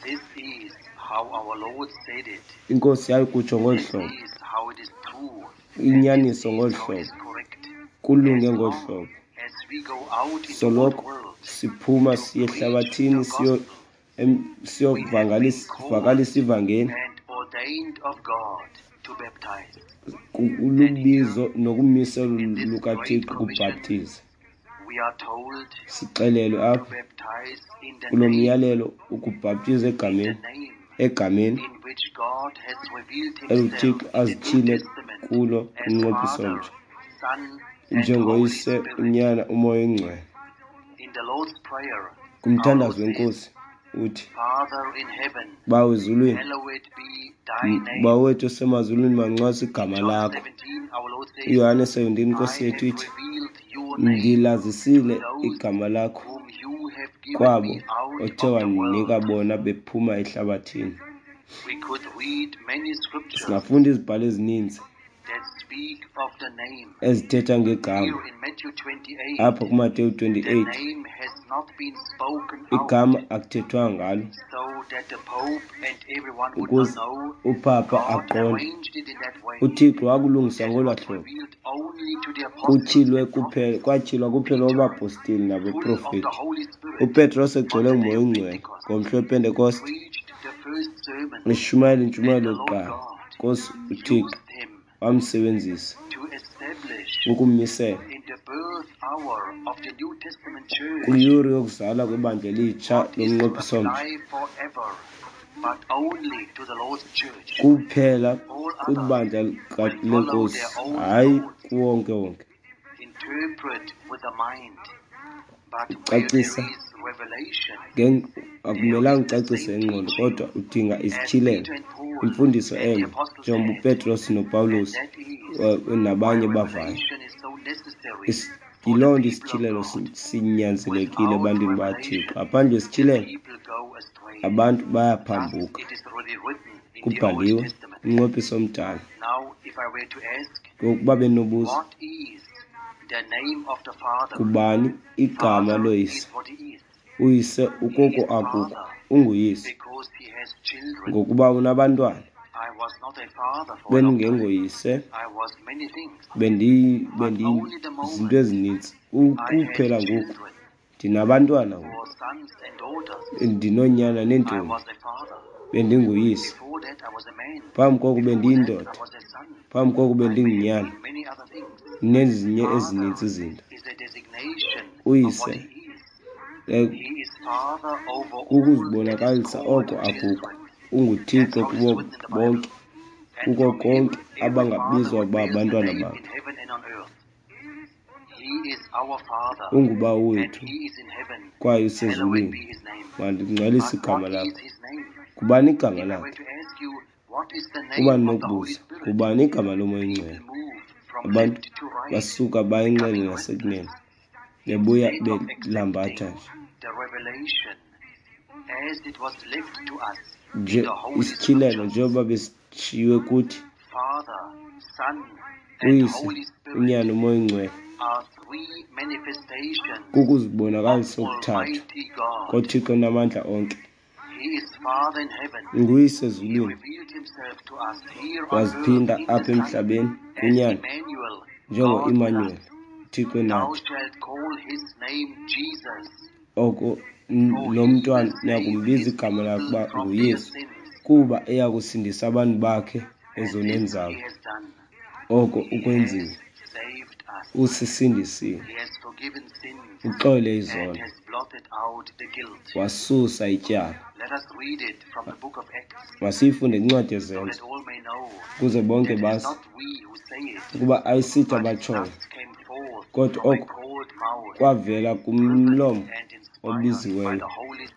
This is how our Lord said it. INkosi yayikutsho ngolu This hlobo, is how it is true, and this inyaniso is ngolu how it is hlobo, correct. kulunge As ngolu long hlobo. as we go out into all the Soloko world siphuma to siye preach ehlabathini the gospel, we have been siyovakalisa called ivangeli, and ordained of God to baptize. And here, lubizo nokumiselo in this great lukaThixo commission, kubhaptiza. we are told Sixelelwe to apha baptize in the kulo name, myalelo ukubhaptiza in the egameni name Egameni eluThixo azityhile kulo umnqophiso omtsha njengoYise, uNyana, uMoya oyiNgcwele. Kumthandazo weNkosi uthi, Bawo ezulwini, Bawo wethu osemazulwini, mangcwaliswe igama lakho. UYohane 17 iNkosi yethu ithi, Ndilazisile igama lakho kwabo othe wandinika bona bephuma ehlabathini. Singafunda izibhalo ezininzi ezithetha ngegama. Apha kuMateyu 28 igama akuthethwanga ngalo ukuze upapa aqonde. UThixo wakulungisa ngolwaa hlobo. Kutyhilwe kuphela, kwatyhilwa kuphela kubapostile nabaprofeti. UPetros egcwele nguMoya oyiNgcwele ngomhla wePentekoste eshumayela intshumayelo yokuqala. Nkosi uThixo wamsebenzisa ukumisela kwiyure yokuzalwa kwebandla elitsha lomnqophiso omtsha kuphela kwibandla lenkosi, hayi kuwonke wonke. Ucacisa akumelanga ucacise ingqondo, kodwa udinga isityhilelo, imfundiso enye njengoba uPetros noPawulos nabanye bavayo. Yiloo nto isityhilelo sinyanzelekile ebantwini baThixo. Ngaphandle kwesityhilelo abantu bayaphambuka. Kubhaliwe umnqophiso omdala. Ngokuba benobuza, kubani igama loyise? Uyise ukoko akuko, unguyise ngokuba unabantwana. Bendingengoyise, bendizinto ezininzi. Kuphela ngoku ndinabantwana ngoku, ndinoonyana neentombi. Bendinguyise. Phambi koko bendiyindoda, phambi koko bendingunyana, nezinye ezininzi izinto. Uyise kukuzibonakalisa oko akuko. UnguThixo kubo bonke, kuko konke abangabizwa ukuba abantwana bakhe. UnguBawo wethu kwaye usezulwini, mandingcwalise igama lakho. Ngubani igama lakhe? Uba ndinokubuza, ngubani igama loMoya oyiNgcwele? Abantu basuka bayinxele nasekunene, bebuya belambatha nje. Nje isityhilelo njengoba besishiywe kuthi, uYise, uNyana, uMoya oyiNgcwele, kukuzibonakalisa okuthathu koThixo onamandla onke. Nguyise ezulwini, waziphinda apha emhlabeni kuNyana njengoImanuweli, uThixo enathi. Oko lo mntwana niyakumbiza igama lakhe uba nguYesu, kuba eya kusindisa abantu bakhe ezonweni zabo. Oko ukwenzile, usisindisile, uxole izono, wasusa ityala. Masiyifunde kwincwadi yeZenzo ukuze bonke bazi ukuba ayisithi abatshoyo, kodwa oko kwavela kumlomo obiziweyo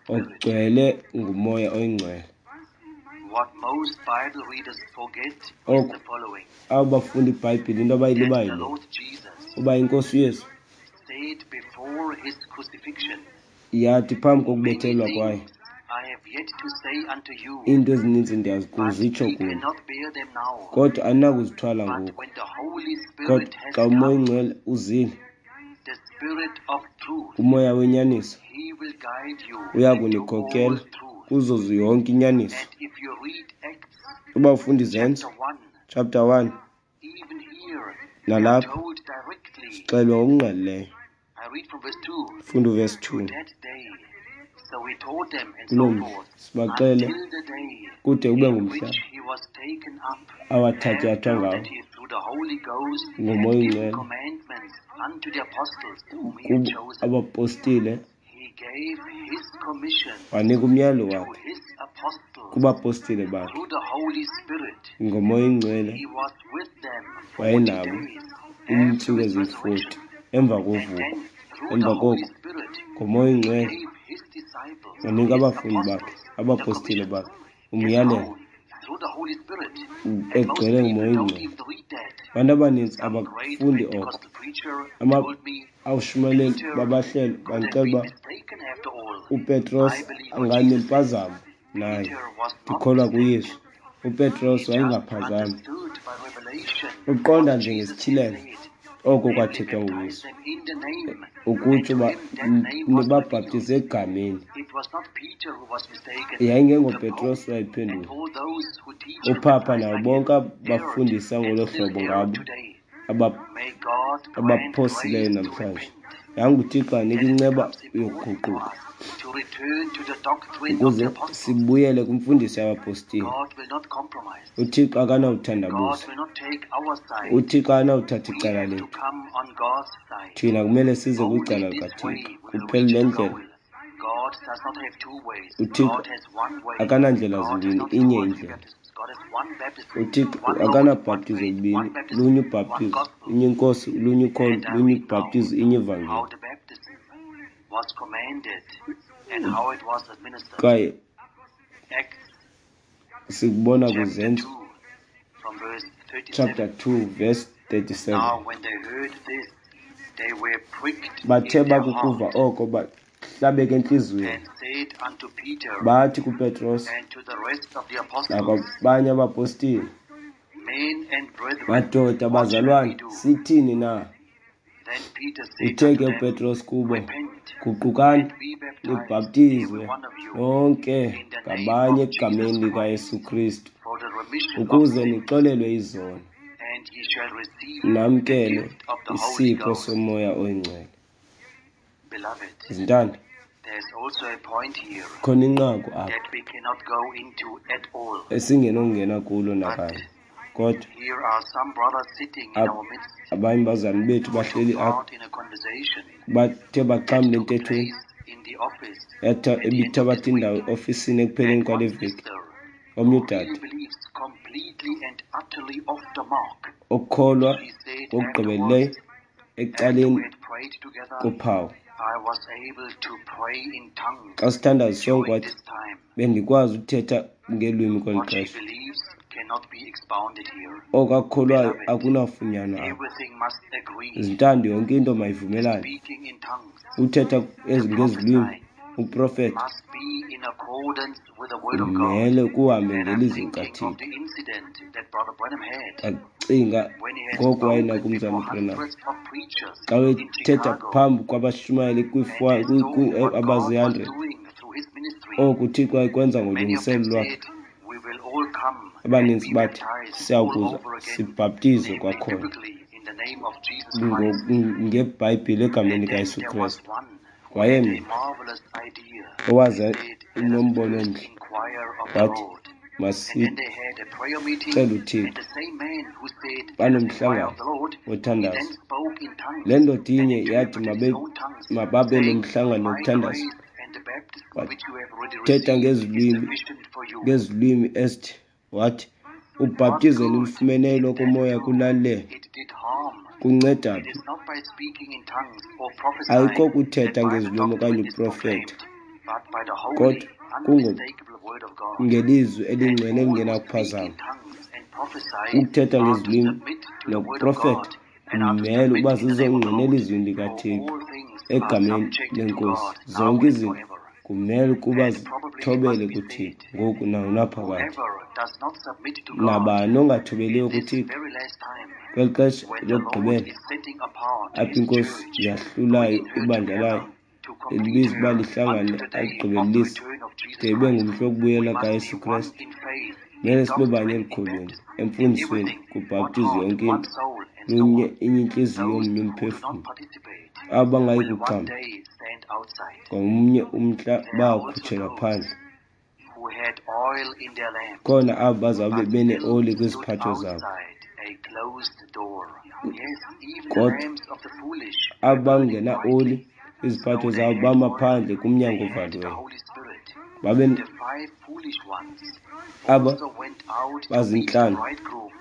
ogcwele nguMoya oyiNgcwele. Oko abo bafunda iBhayibhile into abayilibayo le, uba iNkosi uYesu yathi phambi kokubethelwa kwayo, iinto ezininzi ndiyakuzitsho kuni, kodwa aninakuzithwala ngoku. Kodwa xa uMoya oyiNgcwele uzile, uMoya wenyaniso, uya kunikhokela kuzo yonke inyaniso. Uba ufunda iZenzo chapter 1, nalapha sixelwe ngokungqalileyo. Funda uvesi 2. Kuloo mhla sibaxele kude kube ngumhla awathatyathwa ngawo nguMoya oyiNgcwele abapostile, wanika umyalo wakhe Kubapostile bakhe ngoMoya oyiNgcwele wayenabo iintsuku eziyi-40 emva kovuko. Emva koko ngoMoya oyiNgcwele wanika abafundi bakhe, abapostile bakhe, umyalelo egcwele nguMoya oyiNgcwele. Abantu abaninzi abafundi oko. Abashumayeli babahlelo bandixelela uba uPetros anganempazamo naye. Ndikholwa kuYesu. UPetros wayengaphazami. Uqonda nje ngesityhilelo oko kwathethwa nguYesu, ukutsho uba nibabhaptize egameni. YayingengoPetros wayephendula, uphapha nabo bonke abafundisa ngolo hlobo ngabo abaphosileyo namhlanje. Yanga uThixo anika inceba yokuguquka ukuze sibuyele kwimfundiso yabapostile. UThixo akanawuthandabuza, uThixo akanawuthatha icala lethu. Thina kumele size kwicala likaThixo. Kuphela le ndlela. UThixo akanandlela zimbini, inye indlela. UThixo akanabhaptizo lubini, lunye ubhaptizo, inye iNkosi, lunye ukholo, lunye ubhaptizo, inye ivangeli. Kwaye sikubona kwiZenzo chapter 2 verse 37. Bathe bakukuva oko bahlabeka entliziyweni, bathi kuPetros nakwabanye abapostile, madoda bazalwane, sithini na? Uthe ke uPetros kubo, guqukani nibhaptizwe nonke ngabanye egameni likaYesu Kristu ukuze nixolelwe izono, namkele isipho soMoya oyiNgcwele. Zintanda, khona inqaku apha esingenongena kulo nakanye, kodwa abanye bazalwane bethu bahleli apha bathe baxhamla entethweni ebithabatha indawo eofisini ekupheleni kwale veki. Omnye udade okholwa ngokugqibeleleyo ecaleni kophawu. Xa sithandaza sonke wathi, bendikwazi ukuthetha ngeelwimi kweli xesha. Oko akukholwayo akunafunyanwa apha. Zintando, yonke into mayivumelane. Uthetha ngezilwimi, uprofetha, kumele kuhambe ngelizwi likaThixo. Ndacinga ngoko wayenako umzalwana uBranham xa wayethetha phambi kwabashumayeli abazi-100, oko uThixo wayekwenza ngolungiselelo lwakhe. Abaninzi bathi, siyawukuza sibhaptizwe kwakhona ngeBhayibhile egameni likaYesu Kristu. Wayemnye owaza enombono omhle, wathi, masicele uThixo. Banomhlangano wothandazo. Le ndoda inye yathi mababe nomhlangano wokuthandaza. Wathetha ngezilwimi esithi, wathi, ubhaptizo enilufumeneyo lokomoya kulalele kunceda phi? Ayikho kuthetha ngezilwimi okanye uprofetha, kodwa ngelizwi elingcwele elingenakuphazama. Ukuthetha ngezilwimi nokuprofetha kumele uba zizongqina elizwini likaThixo egameni leNkosi. Zonke izinto kumele ukuba zithobele kuThixo ngoku nangonaphakade. Nabani ongathobeliyo kuThixo kweli xesha lokugqibela apho iNkosi yahlulayo ibandla layo, elibiza uba lihlangane aligqibelelise de ibe ngumhla wokubuyela kaYesu Kristu. Kumele sibe banye elukholweni, emfundisweni, kubhaptizo, yonke into, lunye inye intliziyo, omnye umphefumlo. Abo bangayi kuxhamla ngomnye umhla bayakhutshelwa phandle. Khona abo bazawube beneoli kwiziphatho zabo, kodwa abo bangenaoli kwiziphatho zabo bama phandle kumnyango ovaliweyo. Babe aba bazintlanu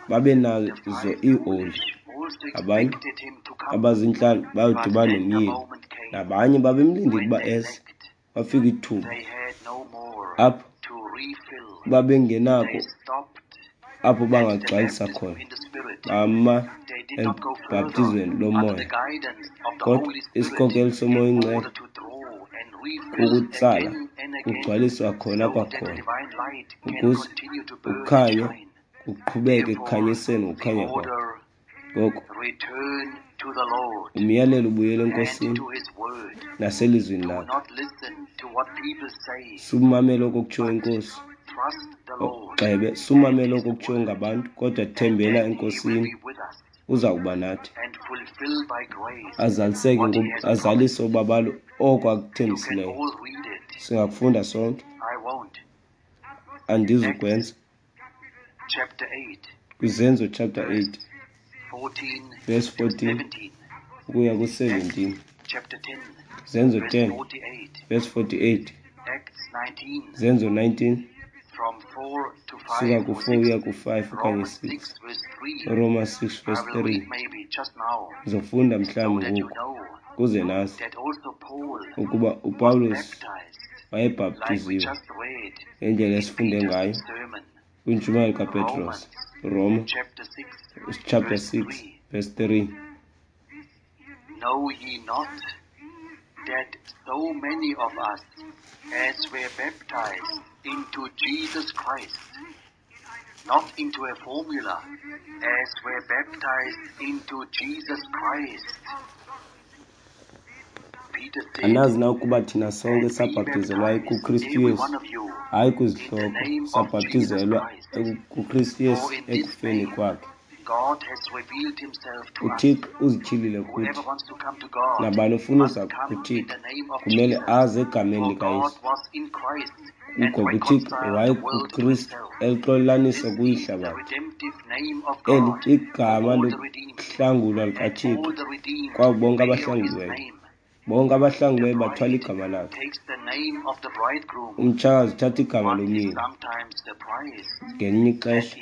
babenazo iioli, abanye abazintlanu bayodibana nomyeni, nabanye babemlindile ukuba eze. Kwafika ithuba apho babengenako apho bangagcwalisa khona, bama ebhaptizweni lomoya. Kodwa isikhokelo soMoya oyiNgcwele kukutsala kugcwaliswa khona kwakhona, ukuze ukukhanya kuqhubeke ekukhanyiseni ngokukhanya kwakho. Ngoko umyalelo ubuyela eNkosini naselizwini lakhe. Sumamela oko kutshiwo iNkosi, gxebe, sumamela oko kutshiwo ngabantu, kodwa thembela eNkosini, uza kuba nathi. Azaliseke, azalise ubabalo oko akuthembisileyo. Singakufunda sonke, andizukwenza. KwiZenzo chapter 8 verse 14 ukuya ku-17. Zenzo 10 verse 48. Zenzo 19 suka ku-4 uya ku-5 okanye 6. Roma 6 verse 3. Ndizofunda mhlawumbi ngoku kuze nazi ukuba uPawulos wayebhaptiziwe ngendlela esifunde ngayo kwintshumayelo kaPetros. Roma chapter 6 verse 3. Know ye not that so many of us as were baptized into Jesus Christ, not into a formula, as were baptized into Jesus Christ. Anazi na ukuba thina sonke sabhaptizelwa kuKristu Yesu, hayi kwizihloko, sabhaptizelwa kuKristu Yesu ekufeni kwakhe. UThixo uzityhilile kuthi. Nabani ofuna uza kuThixo kumele aze egameni likaYesu. Ngoba uThixo wayekuKristu elixolelanisa kuyihlabathi. Eli igama lokuhlangulwa likaThixo kwabo bonke abahlanguliweyo. Bonke abahlanguliweyo bathwala igama lakhe. Umtshakazi uthatha igama lomyeni. Ngelinye ixesha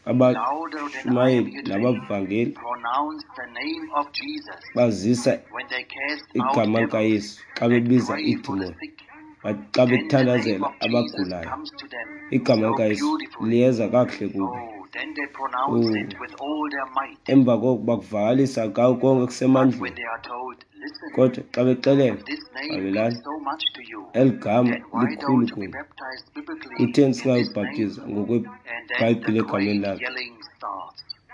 abashumayeli nabavangeli bazisa igama likaYesu xa bebiza iidimoni, xa bethandazela abagulayo, igama likaYesu liyeza kakuhle kubo. Emva koko bakuvakalisa konke kusemandleni. Kodwa xa bexelelwa, mamelani, eli gama likhulu kuni, kutheni singayibhaptiza ngokweBhayibhile egameni lakhe?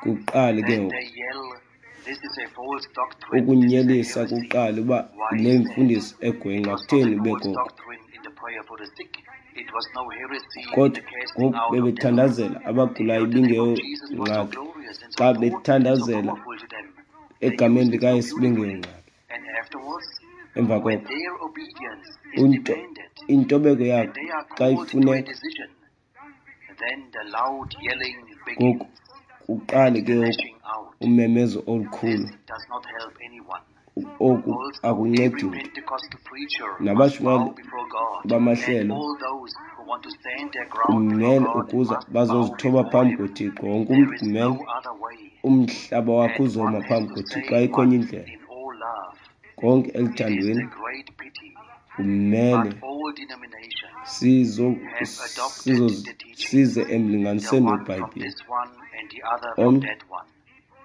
Kuqale ke ngoku ukunyelisa, kuqale uba le mfundiso egwenxa, kutheni ube koko? Kodwa ngoku bebethandazela abagulayo, ibingeyongxaki. Xa bethandazela egameni likaYesu, ibingeyongxaki. Emva koko intobeko yakhe xa ifuneka, ngoku kuqale ke ngoku umemezo olukhulu. Oku akuncedi mntu. Nabashumayeli bamahlelo kumele ukuza bazozithoba phambi koThixo. Wonke umntu kumele umhlaba wakhe uzoma phambi koThixo, ayikho enye indlela. Konke eluthandweni kumele size emlinganisweni weBhayibhile. Omnye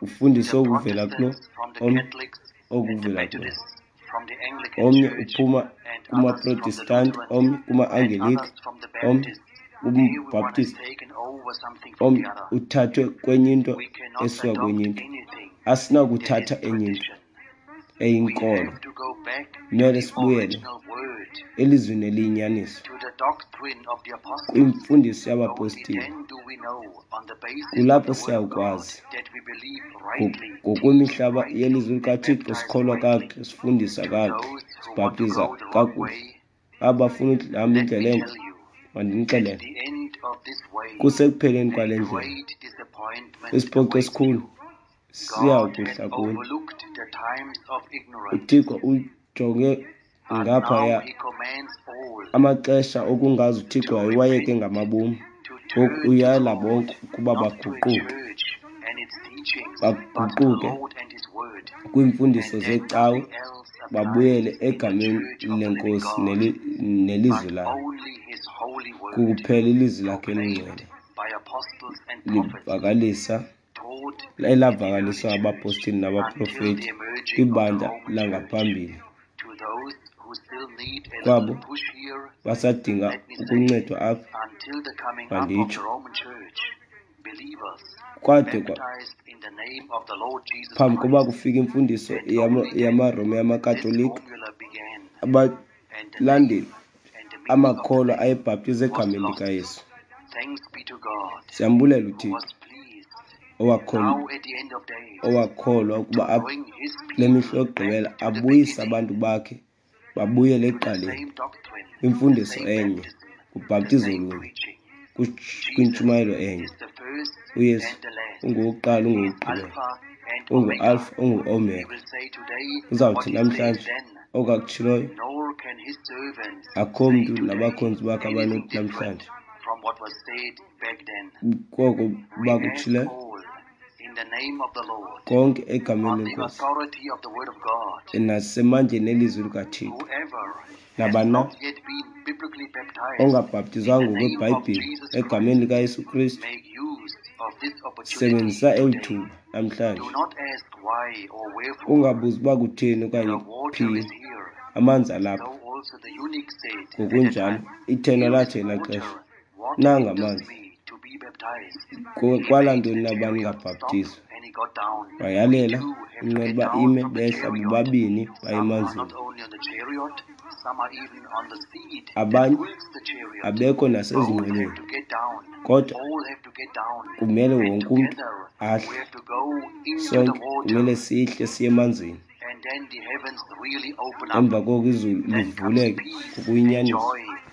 ufundiswe okuvela kulo, omnye okuvela kulo. Omnye uphuma kumaProtestanti, omnye kuma-Angelika, omnye kumbhaptisti, omnye uthathwe kwenye into esuka kwenye into. Asinakuthatha enye into eyinkolo. Kumele sibuyele elizwini eliyinyaniso, kwimfundiso yabapostile. Kulapho siyawukwazi ngokwemihlaba yelizwi likaThixo, sikholwa kakuhle, sifundisa kakuhle, sibhaptiza kakuhle. Aba bafuna ukuhamba indlela entle, mandinixelele, kusekupheleni kwale ndlela isiphoxo esikhulu siya kuhla kuni. UThixo ujonge ngaphaya Amaxesha okungazi uThixo wayewayeke ngamabom. Ngoku uyala bonke ukuba baguquke, baguquke kwiimfundiso zeecawe, babuyele egameni leNkosi nelizwi layo. Kukuphela ilizwi lakhe elingcwele livakalisa elavakaliswa ngabapostile nabaprofeti kwibandla langaphambili. Kwabo basadinga ukuncedwa apha, manditsho, kwade phambi koba kufike imfundiso yamaRoma yamaKatolika, abalandeli amakholwa ayebhaptizwa egameni likaYesu. Siyambulela uThixo owakholwa ukuba apha kule mihla yokugqibela abuyise abantu bakhe babuyele ekuqaleni, kwimfundiso enye, kubhaptizo olunye, kwintshumayelo enye. UYesu ungowokuqala, ungowokugqibela, unguAlpha, unguOmega. Uzawuthi namhlanje oku akutshiloyo, akho mntu nabakhonzi bakhe abanothi namhlanje koko bakutshileyo konke egameni leNkosi nasemandleni elizwi likaThixo. Nabani na ongabhaptizwanga ngokweBhayibhile egameni likaYesu Kristu, sebenzisa eli thuba namhlanje. Ungabuzi uba kutheni okanye phi, amanzi alapha. Ngokunjalo ithenwa lathi elaa xesha, nanga amanzi, kwala ntoni na uba ningabhaptizwa? Wayalela inqwelo uba ime, behla bobabini baya emanzini. Abanye abekho nasezinqwelweni, kodwa kumele wonke umntu ahle. Sonke kumele sihle siye emanzini. Emva koko izulu livuleke ngokuyinyaniso,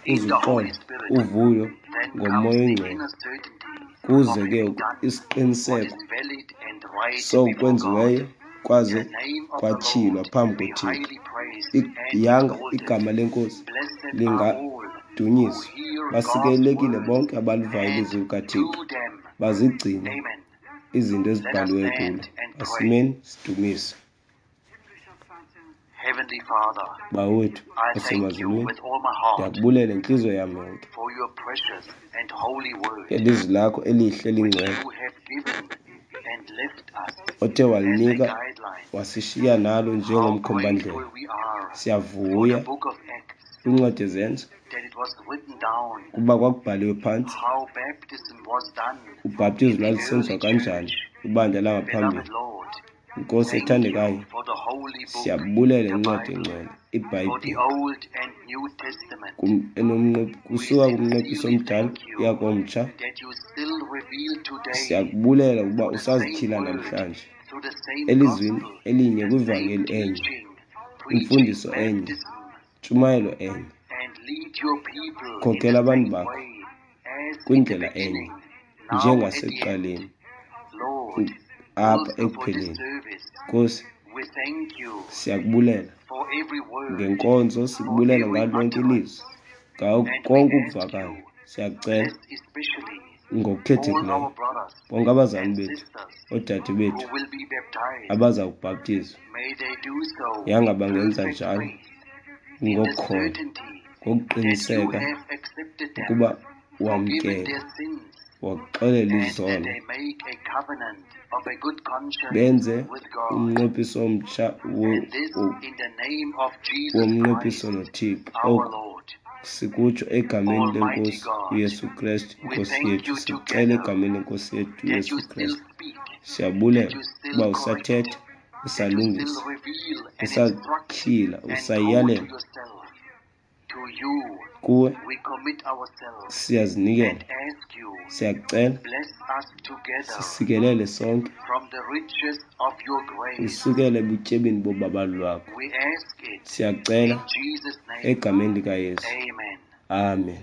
kuze uxolo, uvuyo ngoMoya oyiNgcwele, kuze ke isiqiniseko soko kwenziweyo kwaze kwatyhilwa phambi koThixo. Yanga igama leNkosi lingadunyiswa. Basikelelekile bonke abalivayo ilizwi likaThixo, bazigcine izinto ezibhaliweyo kulo. Asimeni sidumise. Bawo wethu osemazulwini, ndiyakubulela ngentliziyo yam yonke ngelizwi lakho elihle elingcwele othe walinika wasishiya nalo njengomkhombandlela. Siyavuya kwincwadi yeZenzo kuba kwakubhaliwe phantsi ubhaptizo lwalusenziwa kanjani kwibandla langaphambili. Nkosi ethandekayo, siyabulela incwadi engcwele, iBhayibhile, kusuka kumnqophiso omdala uya komtsha. Siyakubulela ukuba usazityhila namhlanje elizwini elinye, kwivangeli enye, imfundiso enye, ntshumayelo enye. Khokela abantu bakho kwindlela enye njengasekuqaleni apha ekupheleni. Nkosi, siyakubulela ngenkonzo, sikubulela ngalo lonke ilizwi, ngawo konke ukuvakala. Siyakucela ngokukhethekileyo bonke abazali bethu, oodade bethu abaza kubhaptizwa, yanga bangenza njalo ngokukholwa, ngokuqiniseka ukuba wamkele, waxolela izono, benze umnqophiso omtsha womnqophiso noThixo. Oku sikutsho egameni leNkosi uYesu Kristu, iNkosi yethu. Sikucela egameni leNkosi yethu uYesu Kristu. Siyabulela uba usathetha, usalungisa, usatyhila, usayalela. Kuwe siyazinikela, siyakucela, sisikelele sonke usukele ebutyebini bobabalo lwakho. Siyakucela egameni likaYesu. Amen.